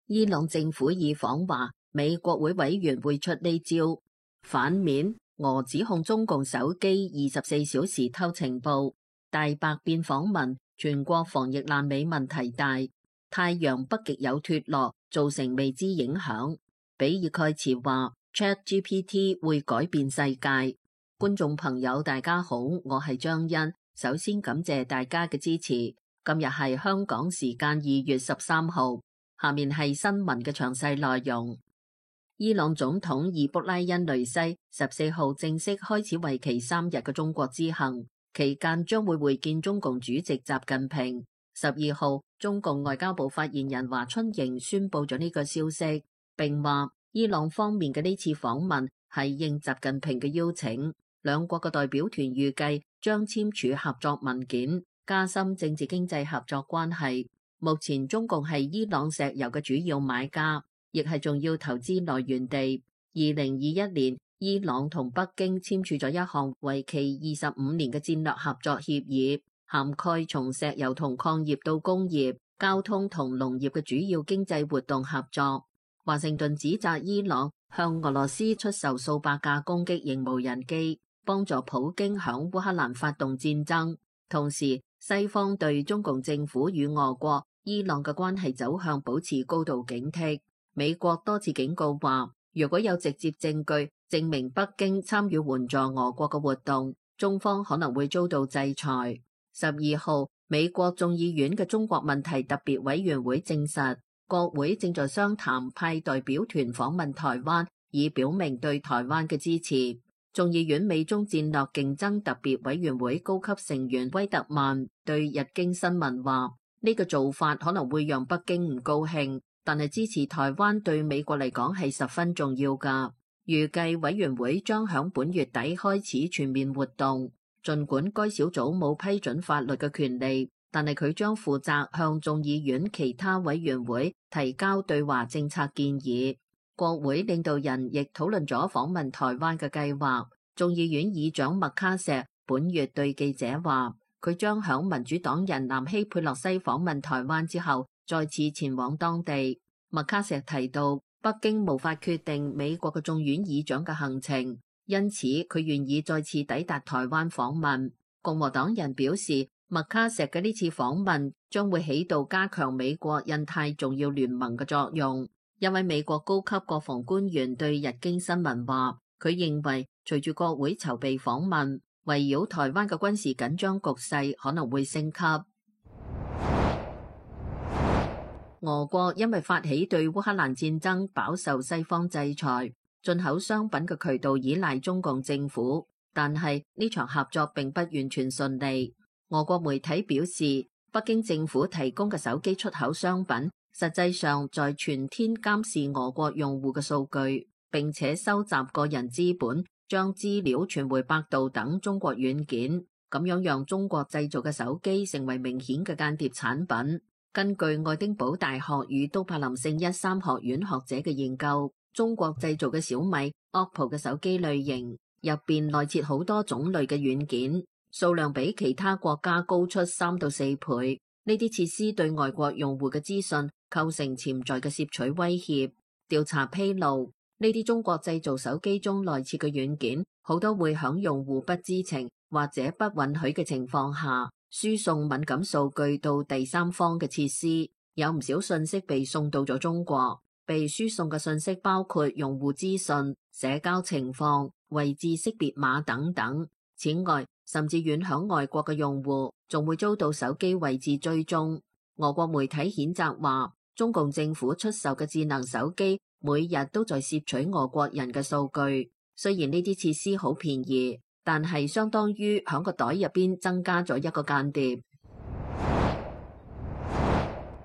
伊朗政府以訪華，美國會委員會出呢招。反面，俄指控中共手機24小時偷情報。大白變訪問，全國防疫爛尾問題大。太陽北極有脫落，造成未知影響。比爾蓋茨話 ChatGPT 會改變世界。觀眾朋友大家好，我係張欣，首先感謝大家嘅支持。今日係香港時間2月13號，下面係新聞嘅詳細內容。伊朗總統伊卜拉欣雷西14號正式開始為期3日嘅中國之行，期間將會會見中共主席習近平。12號，中共外交部發言人華春瑩宣布咗呢個消息，並話伊朗方面嘅呢次訪問係應習近平嘅邀請，兩國嘅代表團預計將簽署合作文件，加深政治經濟合作關係。目前中共係伊朗石油嘅主要買家，亦係重要投資來源地。2021年，伊朗同北京簽署咗一項為期25年嘅戰略合作協議，涵蓋從石油同礦業到工業、交通同農業嘅主要經濟活動合作。華盛頓指責伊朗向俄羅斯出售數百架攻擊型無人機，幫助普京響烏克蘭發動戰爭。同時，西方對中共政府與俄國、伊朗嘅關係走向保持高度警惕。美國多次警告話，如果有直接證據證明北京參與援助俄國嘅活動，中方可能會遭到制裁。12號，美國眾議院嘅中國問題特別委員會證實，國會正在商談派代表團訪問台灣，以表明對台灣嘅支持。眾議院美中戰略競爭特別委員會高級成員威特曼對日經新聞話，呢個做法可能會讓北京唔高興，但係支持台灣對美國嚟講係十分重要㗎。預計委員會將響本月底開始全面活動。儘管該小組冇批准法律嘅權利，但係佢將負責向眾議院其他委員會提交對華政策建議。國會領導人亦討論咗訪問台灣嘅計劃。眾議院議長麥卡錫本月對記者話，佢將響民主黨人南希佩洛西訪問台灣之後，再次前往當地。麥卡錫提到，北京無法決定美國嘅眾院議長嘅行程，因此佢願意再次抵達台灣訪問。共和黨人表示，麥卡錫嘅呢次訪問將會起到加強美國印太重要聯盟嘅作用。一位美國高級國防官員對日經新聞話，佢認為隨住國會籌備訪問，圍繞台灣嘅軍事緊張局勢可能會升級。俄國因為發起對烏克蘭戰爭飽受西方制裁，進口商品嘅渠道依賴中共政府，但係呢場合作並不完全順利。俄國媒體表示，北京政府提供嘅手機出口商品實際上在全天監視俄國用戶嘅數據，並且收集個人資本，將資料傳回百度等中國軟件，咁樣讓中國製造嘅手機成為明顯嘅間諜產品。根據愛丁堡大學與都柏林聖一三學院學者嘅研究，中國製造嘅小米、OPPO 嘅手機類型入邊內設好多種類嘅軟件，數量比其他國家高出3到4倍。呢啲設施對外國用戶嘅資訊構成潛在嘅竊取威脅。調查披露，呢啲中國製造手機中內設嘅軟件，好多會響用戶不知情或者不允許嘅情況下，輸送敏感數據到第三方嘅設施。有唔少信息被送到咗中國，被輸送嘅信息包括用戶資訊、社交情況、位置識別碼等等。此外，甚至遠響外國嘅用戶仲會遭到手機位置追蹤。俄國媒體譴責話，中共政府出售嘅智能手機每日都在竊取俄國人嘅數據。雖然呢啲設施好便宜，但係相當於響個袋入邊增加咗一個間諜。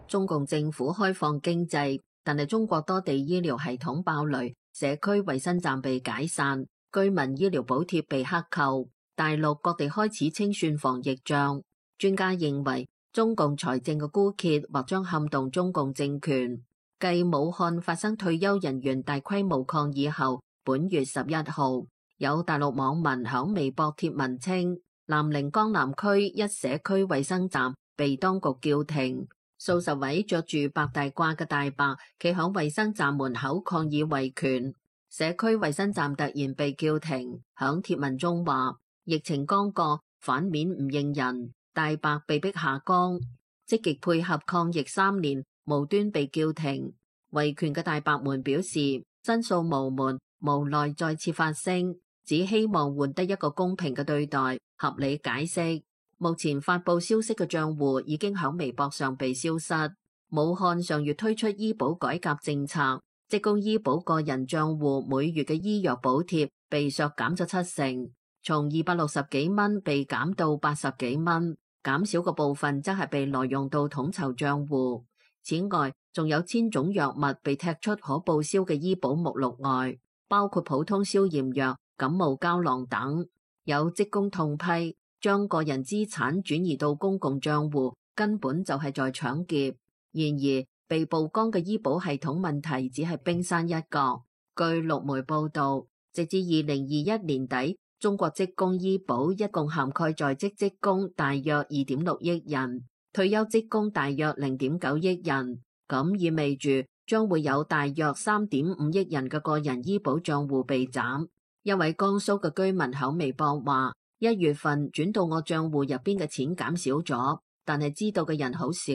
中共政府開放經濟，但係中國多地醫療系統爆雷，社區衛生站被解散，居民醫療補貼被克扣。大陸各地開始清算防疫賬。專家認為，中共財政嘅枯竭或將撼動中共政權。繼武漢發生退休人員大規模抗議後，本月11號，有大陸網民響微博貼文稱，南寧江南區一社區衛生站被當局叫停，數十位着住白大褂嘅大白企響衛生站門口抗議維權，社區衛生站突然被叫停。響貼文中話，疫情剛過，反面唔認人，大白被逼下崗，積極配合抗疫3年，無端被叫停。維權嘅大白們表示，申訴無門，無奈再次發聲，只希望換得一個公平嘅對待，合理解釋。目前發佈消息嘅賬戶已經響微博上被消失。武漢上月推出醫保改革政策，職工醫保個人賬戶每月嘅醫藥補貼被削減咗7成，從260幾蚊被減到80幾蚊，減少嘅部分則係被挪用到統籌賬戶。此外，仲有1000種藥物被踢出可報銷嘅醫保目錄外，包括普通消炎藥、感冒膠囊等。有職工痛批，將個人資產轉移到公共賬戶，根本就係在搶劫。然而，被曝光嘅醫保系統問題只係冰山一角。據陸媒報導，直至2021年底，中國職工醫保一共涵蓋在職職工大約2.6億人，退休職工大約0.9億人。咁意味住將會有大約3.5億人嘅個人醫保賬戶被斬。一位江蘇嘅居民喺微博話：1月份轉到我賬戶入邊嘅錢減少咗，但係知道嘅人好少。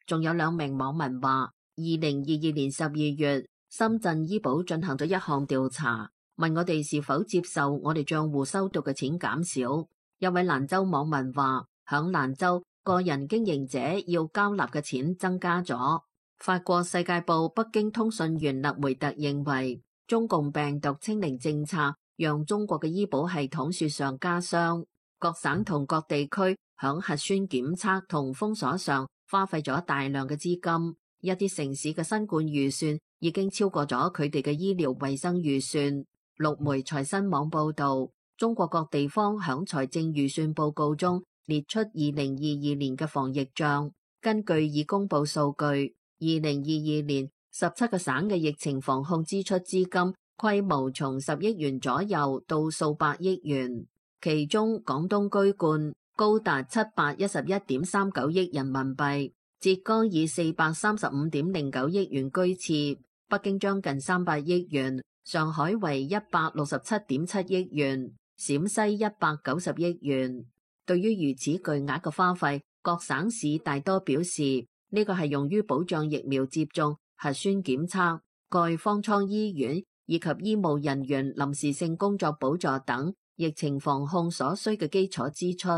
仲有2名網民話，2022年12月，深圳醫保進行咗一項調查，問我哋是否接受我哋賬戶收到嘅錢減少。一位蘭州網民話，響蘭州個人經營者要交納嘅錢增加咗。法國世界報北京通訊員勒梅特認為，中共病毒清零政策讓中國嘅醫保系統雪上加霜，各省同各地區響核酸檢測同封鎖上花費咗大量嘅資金，一啲城市嘅新冠預算已經超過咗佢哋嘅醫療衛生預算。陸媒財新網報導，中國各地方響財政預算報告中列出2022年嘅防疫賬。根據已公佈數據，2022年17個省嘅疫情防控支出資金規模從10億元左右到數百億元，其中廣東居冠，高達711.39億人民幣，浙江以435.09億元居次，北京將近300億元，上海為167.7億元，陝西190億元。對於如此巨額嘅花費，各省市大多表示呢個係用於保障疫苗接種、核酸檢測、蓋方艙醫院以及醫務人員臨時性工作補助等疫情防控所需嘅基礎支出。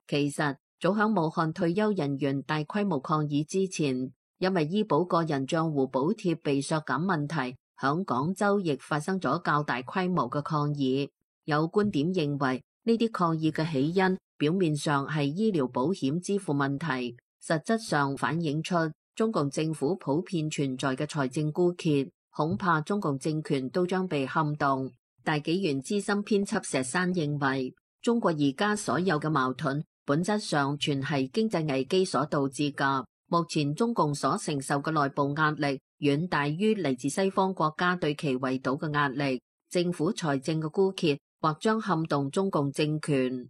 其實早響武漢退休人員大規模抗議之前，因為醫保個人賬戶補貼被削減問題，響廣州亦發生咗較大規模嘅抗議。有觀點認為，呢啲抗議嘅起因表面上係醫療保險支付問題，實質上反映出中共政府普遍存在嘅財政枯竭，恐怕中共政權都將被撼動。大紀元資深編輯石山認為，中國而家所有嘅矛盾本質上全係經濟危機所導致㗎。目前中共所承受嘅內部壓力遠大於嚟自西方國家對其圍堵嘅壓力，政府財政嘅枯竭或將撼動中共政權。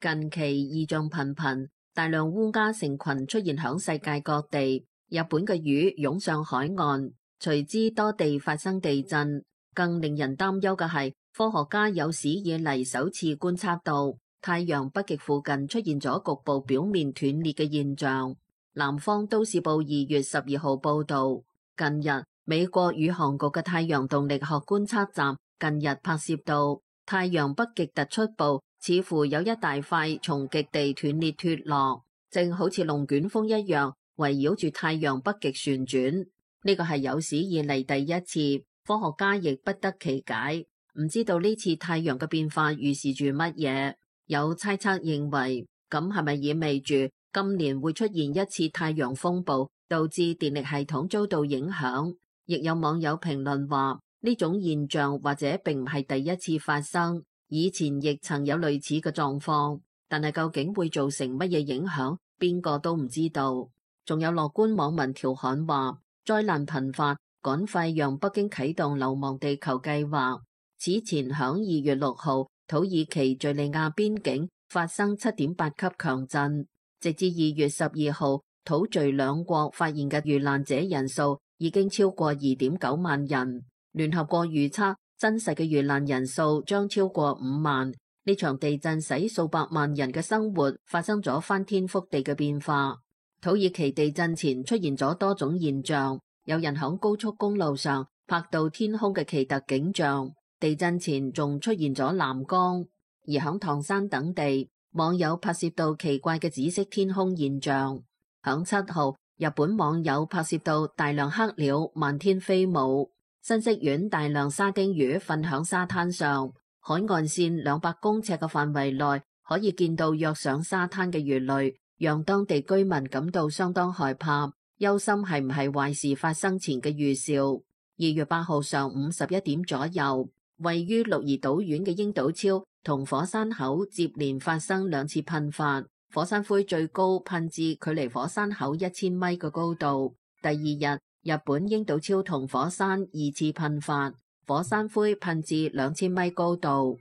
近期異象頻頻，大量烏鴉成群出現響世界各地，日本嘅魚湧上海岸，隨之多地發生地震。更令人擔憂嘅係，科學家有史以嚟首次觀測到太陽北極附近出現咗局部表面斷裂嘅現象。南方都市報2月12號報道，近日美國宇航局嘅太陽動力學觀測站近日拍攝到太陽北極突出部似乎有一大塊從極地斷裂脫落，正好似龍捲風一樣圍繞住太陽北極旋轉。呢個係有史以嚟第一次，科學家亦不得其解，唔知道呢次太陽嘅變化預示住乜嘢。有猜測認為，咁係咪意味住今年會出現一次太陽風暴，導致電力系統遭到影響？亦有網友評論話，呢種現象或者並唔係第一次發生，以前亦曾有類似嘅狀況，但係究竟會造成乜嘢影響，邊個都唔知道。仲有樂觀網民調侃話，災難頻發，趕快讓北京啟動流亡地球計劃。此前響2月6號，土耳其敘利亞邊境發生7.8級強震，直至2月12號，土敘兩國發現嘅遇難者人數已經超過2.9萬人。聯合國預測真實嘅遇難人數將超過5萬。呢場地震使數百萬人嘅生活發生咗翻天覆地嘅變化。土耳其地震前出現咗多種現象，有人響高速公路上拍到天空嘅奇特景象。地震前仲出現咗藍光，而響唐山等地，網友拍攝到奇怪嘅紫色天空現象。響7號，日本網友拍攝到大量黑鳥漫天飛舞。新潟縣大量沙丁魚瞓響沙灘上，海岸線200公尺嘅範圍內可以見到躍上沙灘嘅魚類，讓當地居民感到相當害怕，憂心係唔係壞事發生前嘅預兆。2月8號上午11點左右，位於鹿兒島縣嘅鷹島超同火山口接連發生2次噴發，火山灰最高噴至距離火山口1000米嘅高度。第2日，日本鷹島超同火山2次噴發，火山灰噴至2000米高度。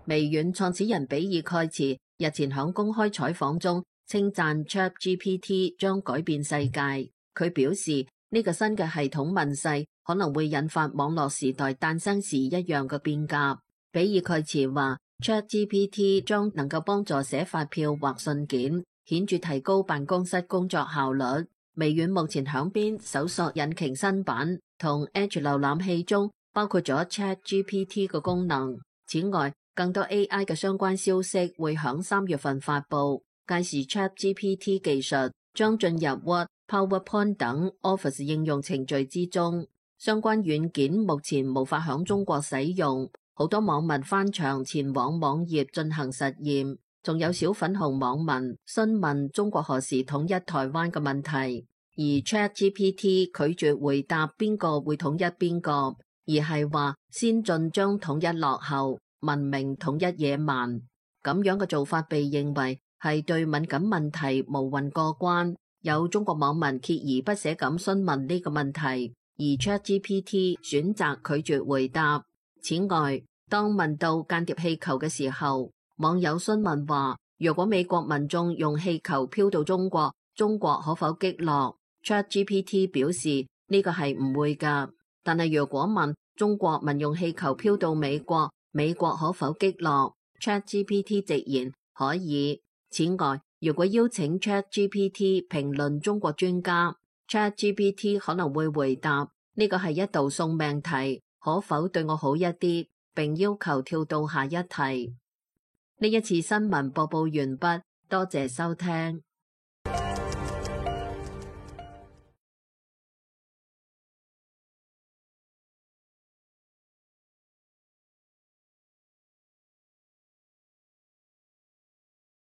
微軟創始人比爾蓋茨日前響公開採訪中稱讚 ChatGPT 將改變世界。佢表示呢個新嘅系統問世可能會引發網絡時代誕生時一樣嘅變革。比爾蓋茨話 ChatGPT 將能夠幫助寫發票或信件，顯著提高辦公室工作效率。微軟目前響邊搜索引擎新版同 Edge 瀏覽器中包括咗 ChatGPT 嘅功能。此外，更多 AI 嘅相關消息會響3月份發佈，屆時 ChatGPT 技術將進入 Word、PowerPoint 等 Office 應用程序之中。相關軟件目前無法響中國使用，好多網民翻牆前往網頁進行實驗，仲有小粉紅網民詢問中國何時統一台灣嘅問題，而 ChatGPT 拒絕回答邊個會統一邊個，而係話先進將統一落後，文明統一野蠻。咁樣嘅做法被認為係對敏感問題無運過關。有中國網民鍥而不捨咁詢問呢個問題，而 ChatGPT 選擇拒絕回答。此外，當問到間諜氣球嘅時候，網友詢問話，如果美國民眾用氣球飄到中國，中國可否擊落？ ChatGPT 表示呢個係唔會㗎。但係如果問中國民用氣球飄到美國，美國可否擊落？ ChatGPT 直言可以。此外，如果邀請 ChatGPT 評論中國專家， ChatGPT 可能會回答呢個係一道送命題，可否對我好一啲，並要求跳到下一題。呢一次新聞播報完畢，多謝收聽。